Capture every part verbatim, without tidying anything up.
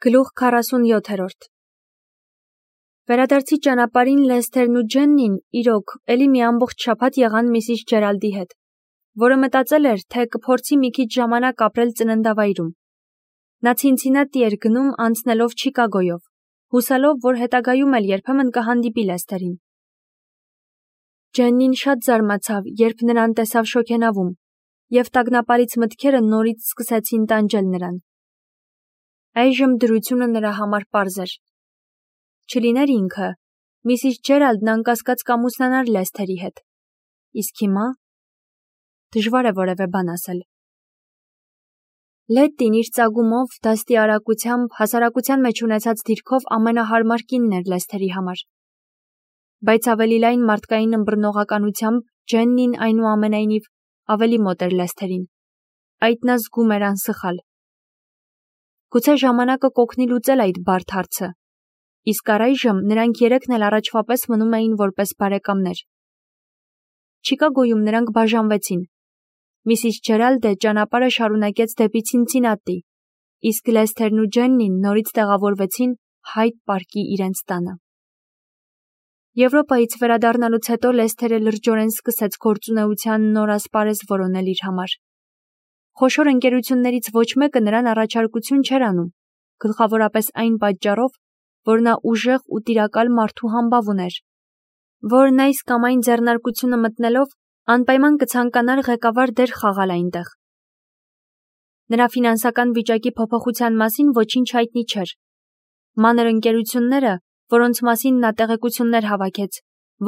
Գլուխ քառասունյոթերորդ Վերադարձի ճանապարհին Լեսթերն ու Ջեննին իրոք էլի մի ամբողջ շաբաթ եղան Միսիս Ջերալդի հետ, որը մտածել էր, թե կփորձի մի քիչ ժամանակ ապրել ծննդավայրում։ Նա Ցինցինատի էր գնում անցնելով Չիկագոյով, հուսալով, որ հետագայում էլ երբեմն կհանդիպի Լեսթերին։ Ջեննին շատ զարմացավ, երբ նրան տեսավ շոգենավում, և տագնապալից մտքերը նորից սկսեցին տանջել նրան։ Այժմ դրությունը նրա համար պարզ էր։ Չլիներ ինքը, Միսիս Ջերալդն անկասկած կամուսնանար Լեսթերի հետ։ Իսկ հիմա դժվար է որևէ բան ասել։ Լետտին իր ծագումով, դաստի արագությամբ, հասարակության մեջ ունեցած դիրքով ամենահարմար կինն էր Լեսթերի համար։ Բայց ավելի լայն մարդկային ըմբռնողականությամբ Ջեննին այնուամենայնիվ ավելի մոտ էր Լեսթերին։ Այդ նա զգում էր անսխալ։ Գուցե ժամանակը կօգնի լուծել այդ բարդ հարցը։ Իսկ առայժմ նրանք երեքն էլ առաջվա պես մնում էին որպես բարեկամներ։ Չիկագոյում նրանք բաժանվեցին։ Միսիս Ջերալդը ճանապարհը շարունակեց դեպի Ցինցինատի, իսկ Լեսթերն ու Ջեննին նորից տեղավորվեցին Հայդ պարկի իրենց տանը։ Եվրոպայից վերադառնալուց հետո Լեսթերը լրջորեն սկսեց գործունեության նոր ասպարեզ որոնել իր համար։ Խոշոր ընկերություններից ոչ մեկը նրան առաջարկություն չէր անում, գլխավորապես այն պատճառով, որ նա ուժեղ ու տիրակալ մարդու համբավ ուներ, որն այս կամ այն ձեռնարկությունը մտնելով անպայման կցանկանար ղեկավար դեր խաղալ այնտեղ։ Նրա ֆինանսական վիճակի փոփոխության մասին ոչինչ հայտնի չէր։ Մանր ընկերությունները, որոնց մասին նա տեղեկություններ հավաքեց,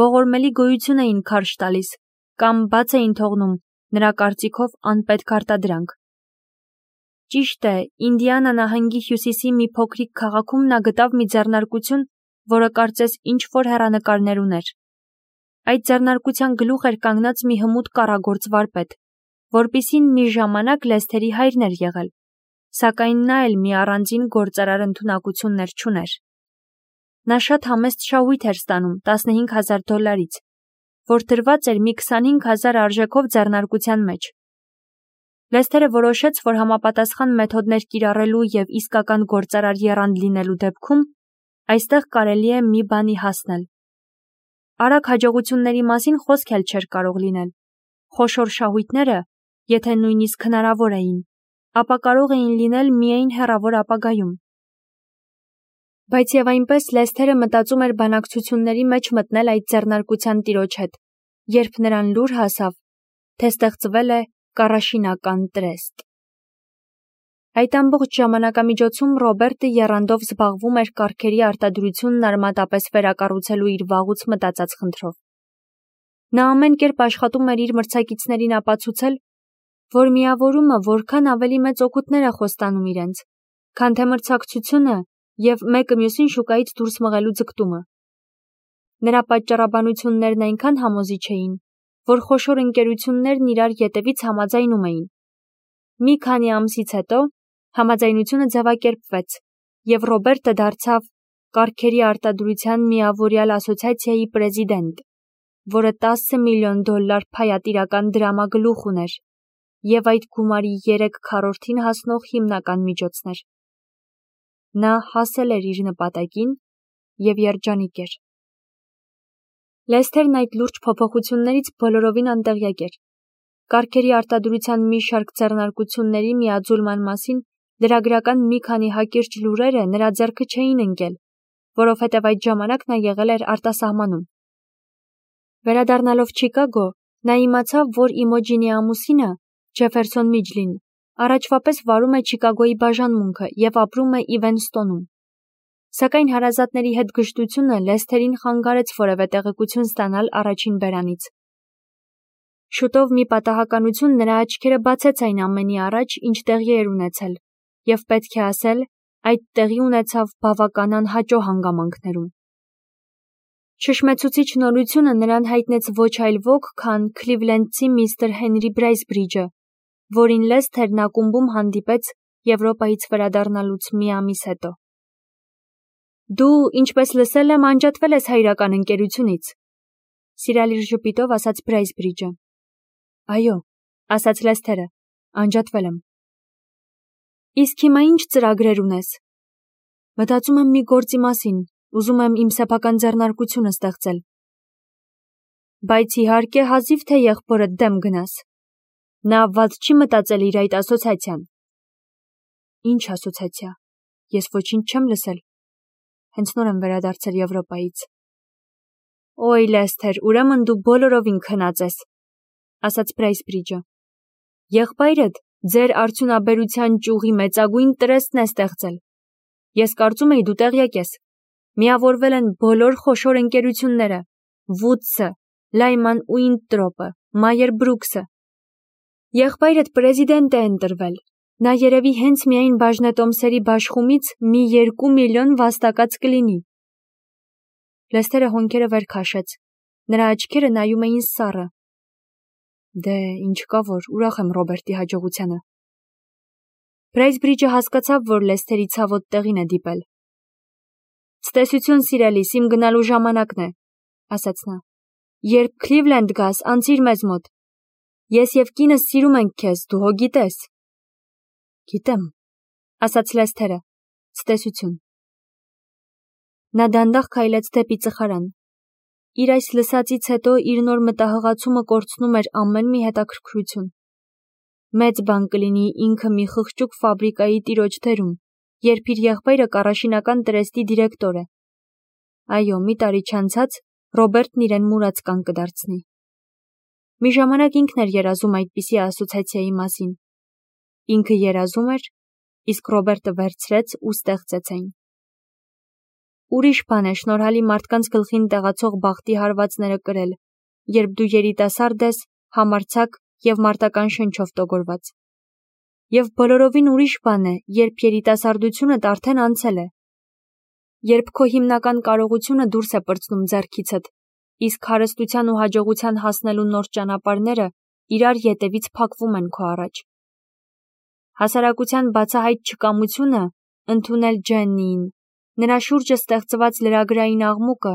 ողորմելի գոյություն էին քարշ տալիս կամ բաց էին թողնում նրա կարծիքով անպետք արտադրանք։ Ճիշտ է, Ինդիանա նահանգի հյուսիսի մի փոքրիկ քաղաքում նա գտավ մի ձեռնարկություն, որը կարծես ինչ-որ հեռանկարներ ուներ։ Այդ ձեռնարկության գլուխ էր կանգնած մի հմուտ կառագործ վարպետ, որպիսին մի ժամանակ Լեսթերի հայրն էր եղել, սակայն նա էլ մի առանձին գործարար ընդունակություններ չուներ։ Նա շատ համեստ շահույթ էր ստանում տասնհինգ հազար դոլարից, որ դրված էր մի քսանհինգ հազար արժեքով ձեռնարկության մեջ։ Լեսթերը որոշեց, որ համապատասխան մեթոդներ կիրառելու և իսկական գործարար եռանդ լինելու դեպքում այստեղ կարելի է մի բանի հասնել։ Արագ հաջողությունների մասին խոսք էլ չէր կարող լինել։ Խոշոր շահույթները, եթե նույնիսկ հնարավոր էին, ապա կարող էին լինել միայն հեռավոր ապագայում։ Բայց և այնպես Լեսթերը մտածում էր բանակցությունների մեջ մտնել այդ ձեռնարկության տիրոջ հետ, երբ նրան լուր հասավ, թե ստեղծվել է կառաշինական տրեստ։ Այդ ամբողջ ժամանակամիջոցում Ռոբերտը եռանդով զբաղվում էր կառքերի արտադրությունն արմատապես վերակառուցելու իր վաղուց մտածած խնդրով։ Նա ամեն կերպ աշխատում էր իր մրցակիցներին ապացուցել, որ միավորումը որքան ավելի մեծ օգուտներ է խոստանում իրենց, քան թե մրցակցությունը և մեկը մյուսին շուկայից դուրս մղելու ձգտումը։ Նրա պատճառաբանություններն այնքան համոզիչ էին, որ խոշոր ընկերություններն իրար ետևից համաձայնում էին։ Մի քանի ամսից հետո համաձայնությունը ձևակերպվեց, և Ռոբերտը դարձավ կառքերի արտադրության միավորյալ ասոցիացիայի պրեզիդենտ, որը տասը միլիոն դոլար փայատիրական դրամագլուխ ուներ և այդ գումարի երեք քառորդին հասնող հիմնական միջոցն էր։ Նա հասել էր իր նպատակին և երջանիկ էր։ Լեսթերն այդ լուրջ փոփոխություններից բոլորովին անտեղյակ էր։ Կառքերի արտադրության մի շարք ձեռնարկությունների միաձուլման մասին լրագրական մի քանի հակիրճ լուրերը նրա ձեռքը չէին ընկել, որովհետև այդ ժամանակ նա եղել էր արտասահմանում։ Վերադառնալով Չիկագո, նա իմացավ, որ Իմոջինի ամուսինը՝ Ջեֆերսոն Միջլին, առաջվա պես վարում է Չիկագոյի բաժանմունքը և ապրում է Իվենստոնում։ Սակայն հարազատների հետ գժտությունը Լեսթերին խանգարեց որևէ տեղեկություն ստանալ առաջին բերանից։ Շուտով մի պատահականություն նրա աչքերը բացեց այն ամենի առաջ, ինչ տեղի էր ունեցել, և պետք է ասել, այդ տեղի ունեցավ բավական անհաճո հանգամանքներում։ Շշմեցուցիչ նորությունը նրան հայտնեց ոչ այլ ոք, քան քլիվլենդցի միստր Հենրի Բրեյսբրիջը, որին Լեսթերն ակումբում հանդիպեց Եվրոպայից վերադառնալուց մի ամիս հետո։ Դու, ինչպես լսել եմ, անջատվել ես հայրական ընկերությունից, սիրալիր ժպիտով ասաց Բրեյսբրիջը։ Այո, ասաց Լեսթերը, անջատվել եմ։ Իսկ հիմա ինչ ծրագրեր ունես։ Մտածում եմ մի գործի մասին, ուզում եմ իմ սեփական ձեռնարկությունը ստեղծել։ Բայց իհարկե հազիվ թե եղբորդ դեմ գնաս։ Նա վատ չի մտածել իր այդ ասոցիացիան։ Ինչ ասոցիացիա։ Ես ոչինչ չեմ լսել։ Հենց նոր եմ վերադարձել Եվրոպայից։ Ոյ Լեսթեր, ուրեմն դու բոլորովին քնած ես, ասաց Բրեյսբրիջը։ Եղբայրդ ձեր արդյունաբերության ճյուղի մեծագույն տրեստն է ստեղծել։ Ես կարծում էի դու տեղյակ ես։ Միավորվել են բոլոր խոշոր ընկերությունները, Վուդսը, Լայման ու Ինտրոպը, Մայեր Բրուքսը։ Եղբայրդ պրեզիդենտ է ընտրվել։ Նա երևի հենց միայն բաժնետոմսերի բաշխումից մի երկու միլիոն վաստակած կլինի։ Լեսթերը հոնքերը վեր քաշեց։ Նրա աչքերը նայում էին սառը։ Դե, ինչ կա որ, ուրախ եմ Ռոբերտի հաջողությանը։ Բրեյսբրիջը հասկացավ, որ Լեսթերի ցավոտ տեղին է դիպել։ Ցտեսություն սիրելիս, իմ գնալու ժամանակն է, ասաց նա։ Երբ Քլիվլենդ գաս, անցիր մեզ մոտ։ Ես և կինս սիրում ենք քեզ, դու հո գիտես։ Գիտեմ, ասաց Լեսթերը։ Ցտեսություն։ Նա դանդաղ քայլեց դեպի ծխարան։ Իր այս լսածից հետո իր նոր մտահղացումը կորցնում էր ամեն մի հետաքրքրություն։ Մեծ բան կլինի ինքը մի խղճուկ ֆաբրիկայի տիրոջ դերում, երբ իր եղբայրը կառաշինական տրեստի դիրեկտոր է։ Այո, մի տարի չանցած Ռոբերտն իրեն մուրացկան կդարձնի։ Մի ժամանակ ինքն էր երազում այդպիսի ասոցիացիայի մասին։ Ինքը երազում էր, իսկ Ռոբերտը վերցրեց ու ստեղծեց այն։ Ուրիշ բան է շնորհալի մարդկանց գլխին տեղացող բախտի հարվածները կրել, երբ դու երիտասարդ ես, համարձակ և մարտական շնչով տոգորված։ Եվ բոլորովին ուրիշ բան է, երբ երիտասարդությունդ արդեն անցել է։ Երբ քո հիմնական կարողությունը դուրս է պրծնում ձեռքիցդ, իսկ հարստության ու հաջողության հասնելու նոր ճանապարհները իրար ետևից փակվում են քո առաջ։ Հասարակության բացահայտ չկամությունը ընդունել Ջեննիին, նրա շուրջը ստեղծված լրագրային աղմուկը,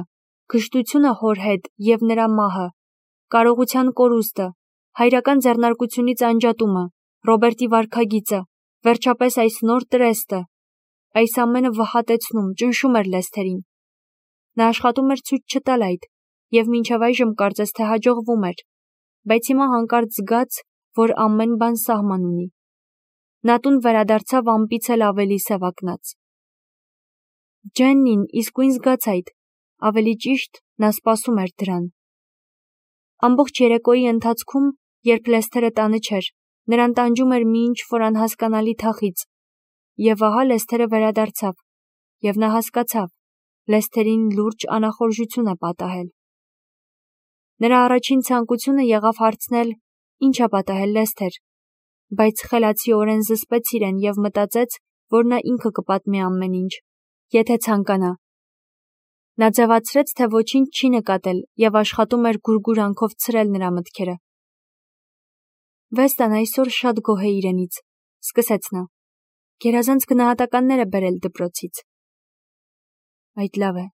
գժտությունը հոր հետ և նրա մահը, կարողության կորուստը, հայրական ձեռնարկությունից անջատումը, Ռոբերտի վարքագիծը, վերջապես այս նոր տրեստը, այս ամենը վհատեցնում, ճնշում էր Լեսթերին։ Նա աշխատում էր ցույց չտալ այդ, և մինչև այժմ կարծես թե հաջողվում էր, բայց հիմա հանկարծ զգաց, որ ամեն բան սահման ունի։ Նա տուն վերադարձավ ամպից էլ ավելի սևակնած։ Ջեննին իսկույն զգաց այդ, ավելի ճիշտ, նա սպասում էր դրան։ Ամբողջ երեկոյի ընթացքում, երբ Լեսթերը տանը չէր, նրան տանջում էր մի ինչ-որ անհասկանալի թախիծ, և ահա Լեսթերը վերադարձավ, և նա հասկացավ, Լեսթերին լուրջ անախորժություն է պատահել։ Նրա առաջին ցանկությունը եղավ հարցնել. «Ինչ է պատահել, Լեսթեր», բայց խելացիորեն զսպեց իրեն և մտածեց, որ նա ինքը կպատմի ամեն ինչ, եթե ցանկանա։ Նա ձևացրեց, թե ոչինչ չի նկատել և աշխատում էր գուրգուրանքով ցրել նրա մտքերը։ Վեստան այսօր շատ գոհ է իրենից, սկսեց նա։ Գերազանց գնահատականներ է բերել դպրոցից։ Այդ լավ է,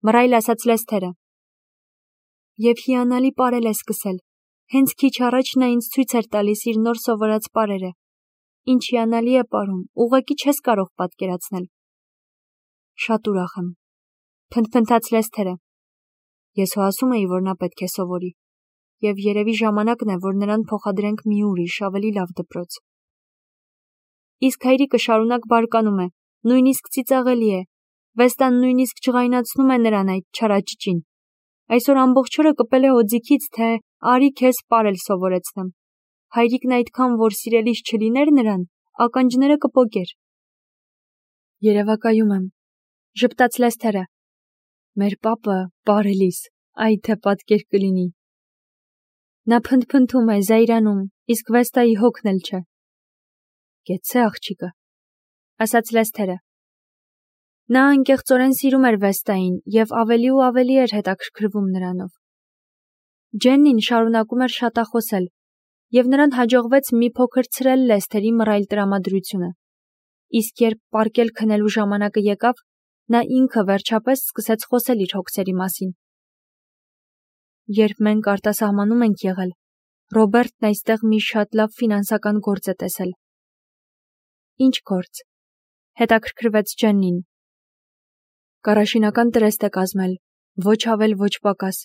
մռայլ ասաց Լեսթերը։ Եվ հիանալի պարել է սկսել։ Հենց քիչ առաջ նա ինձ ցույց էր տալիս իր նոր սովորած պարերը։ Ինչ հիանալի է պարում, ուղղակի չես կարող պատկերացնել։ Շատ ուրախ եմ, փնթփնթաց Լեսթերը։ Ես հո ասում էի, որ նա պետք է սովորի, և երևի ժամանակն է, որ նրան փոխադրենք մի ուրիշ, ավելի լավ դպրոց։ Իսկ հայրիկը շարունակ բարկանում է, նույնիսկ ծիծաղելի է։ Վեստան նույնիսկ ջղայնացնում է նրան այդ չարաճճին։ Այսօր ամբողջ օրը կպել է օձիքից, թե արի քեզ պարել սովորեցնեմ։ Հայրիկն այդքան որ սիրելիս չլիներ նրան, ականջները կպոկեր։ Երևակայում եմ, ժպտաց Լեսթերը։ Մեր պապը պարելիս, այ թե պատկեր կլինի։ Նա փնթփնթում է, զայրանում, իսկ Վեստայի հոգն էլ չէ։ Գեցցե աղջիկը, ասաց Լեսթերը։ Նա անկեղծորեն սիրում էր Վեստային և ավելի ու ավելի էր հետաքրքրվում նրանով։ Ջեննին շարունակում էր շատախոսել, և նրան հաջողվեց մի փոքր ցրել Լեսթերի մռայլ տրամադրությունը։ Իսկ երբ պառկել քնելու ժամանակը եկավ, նա ինքը վերջապես սկսեց խոսել իր հոգսերի մասին։ Երբ մենք արտասահմանում ենք եղել, Ռոբերտն այստեղ մի շատ լավ ֆինանսական գործ է տեսել։ Ինչ գործ, հետաքրքրվեց Ջեննին, Կարաշինական տրեստ է կազմել, ոչ ավել, ոչ պակաս։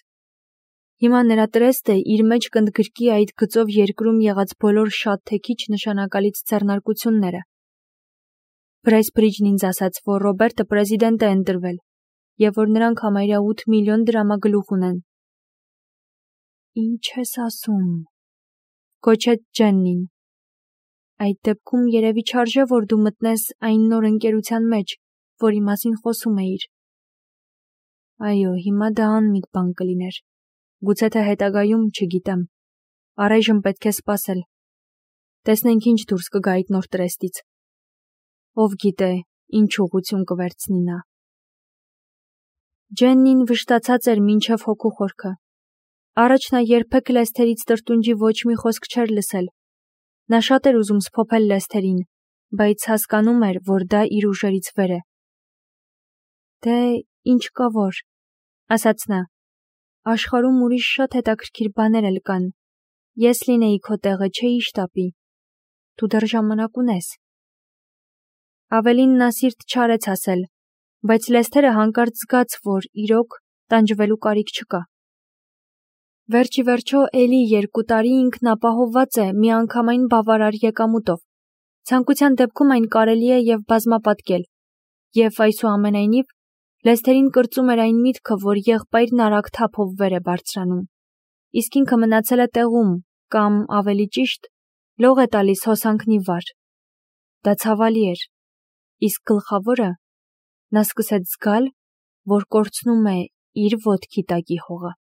Հիմա նրա տրեստը իր մեջ կընդգրկի այդ գծով երկրում եղած բոլոր շատ թե քիչ նշանակալից ձեռնարկությունները։ Բրեսբրիջն ինձ ասաց, որ Ռոբերտը պրեզիդենտ է ընտրվել, եւ որ նրանք համարյա ութ միլիոն դրամագլուխ ունեն։ Ինչ ես ասում, գոչեց Ջեննին։ Այդ դեպքում երևի չարժե, որ դու մտնես այն նոր ընկերության մեջ, որի մասին խոսում էիր։ Այո, հիմա դա անմիտ բան կլիներ։ Գուցե թե հետագայում, չգիտեմ։ Առայժմ պետք է սպասել։ Տեսնենք ինչ դուրս կգա այդ նոր տրեստից։ Ով գիտե, ինչ ուղղություն կվերցնի նա։ Ջեննին վշտացած էր մինչև հոգու խորքը։ Առաջ նա երբեք Լեսթերից տրտունջի ոչ մի խոսք չէր լսել։ Նա շատ էր ուզում սփոփել Լեսթերին, բայց հասկանում էր, որ դա իր ուժերից վեր է։ Դե, ինչ կա որ, ասաց նա, աշխարհում ուրիշ շատ հետաքրքիր բաներ էլ կան։ Ես լինեի քո տեղը, չէի շտապի։ Դու դեռ ժամանակ ունես։ Ավելին նա սիրտ չարեց ասել, բայց Լեսթերը հանկարծ զգաց, որ իրոք տանջվելու կարիք չկա։ Վերջի վերջո էլի երկու տարի ինքն ապահովված է միանգամայն բավարար եկամուտով։ Ցանկության դեպքում այն կարելի է եւ բազմապատկել։ Եվ այսուամենայնիվ Լեսթերին կրծում էր այն միտքը, որ եղբայրն արագ թափով վեր է բարձրանում։ Իսկ ինքը մնացել է տեղում, կամ ավելի ճիշտ, լող է տալիս հոսանքնի վար։ Դա ցավալի էր։ Իսկ գլխավորը, նա սկսեց զգալ, որ կորցնում է իր ոտքի տակի հողը։